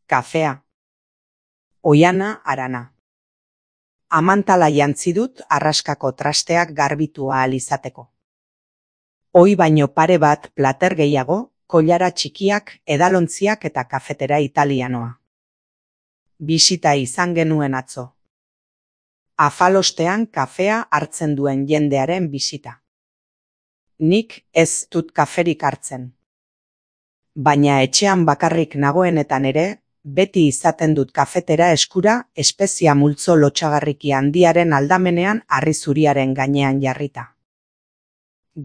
Kafea. Oihana harana. Amantala jantzi dut arraskako trasteak garbitu ahal izateko. Ohi baino pare bat plater gehiago, koilara txikiak, edalontziak eta kafetera italianoa. Bisita izan genuen atzo. Afalostean kafea hartzen duen jendearen bisita. Nik ez dut kaferik hartzen. Baina etxean bakarrik nagoenetan ere, beti izaten dut kafetera eskura espezia multzo lotsagarriki handiaren aldamenean harri zuriaren gainean jarrita.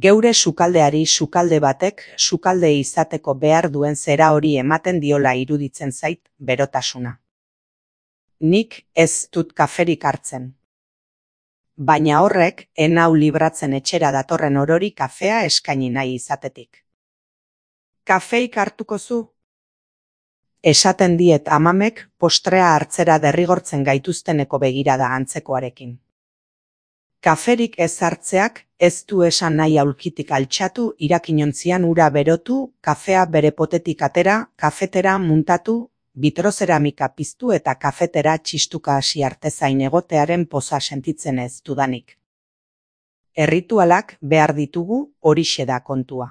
Geure sukaldeari sukalde batek sukalde izateko behar duen zera hori ematen diola iruditzen zait berotasuna. Nik ez dut kaferik hartzen. Baina horrek enau libratzen etxera datorren orori kafea eskaini nahi izatetik. Kafeik hartuko zu? Esaten diet amamek postrea hartzera derrigortzen gaituzteneko begirada antzekoarekin. Kaferik ez hartzeak ez du esan nahi aulkitik altxatu, irakinontzian ura berotu, kafea bere potetik atera, kafetera muntatu, bitrozeramika piztu eta kafetera txistuka hasi artezain egotearen poza sentitzen ez dudanik. Erritualak behar ditugu, horixe da kontua.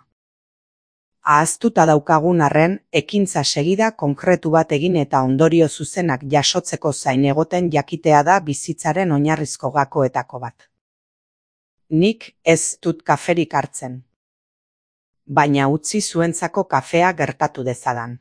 Ahaztuta daukagun arren, ekintza segida konkretu bat egin eta ondorio zuzenak jasotzeko zain egoten jakitea da bizitzaren oinarrizko gakoetako bat. Nik ez dut kaferik hartzen. Baina utzi zuentzako kafea gertatu dezadan.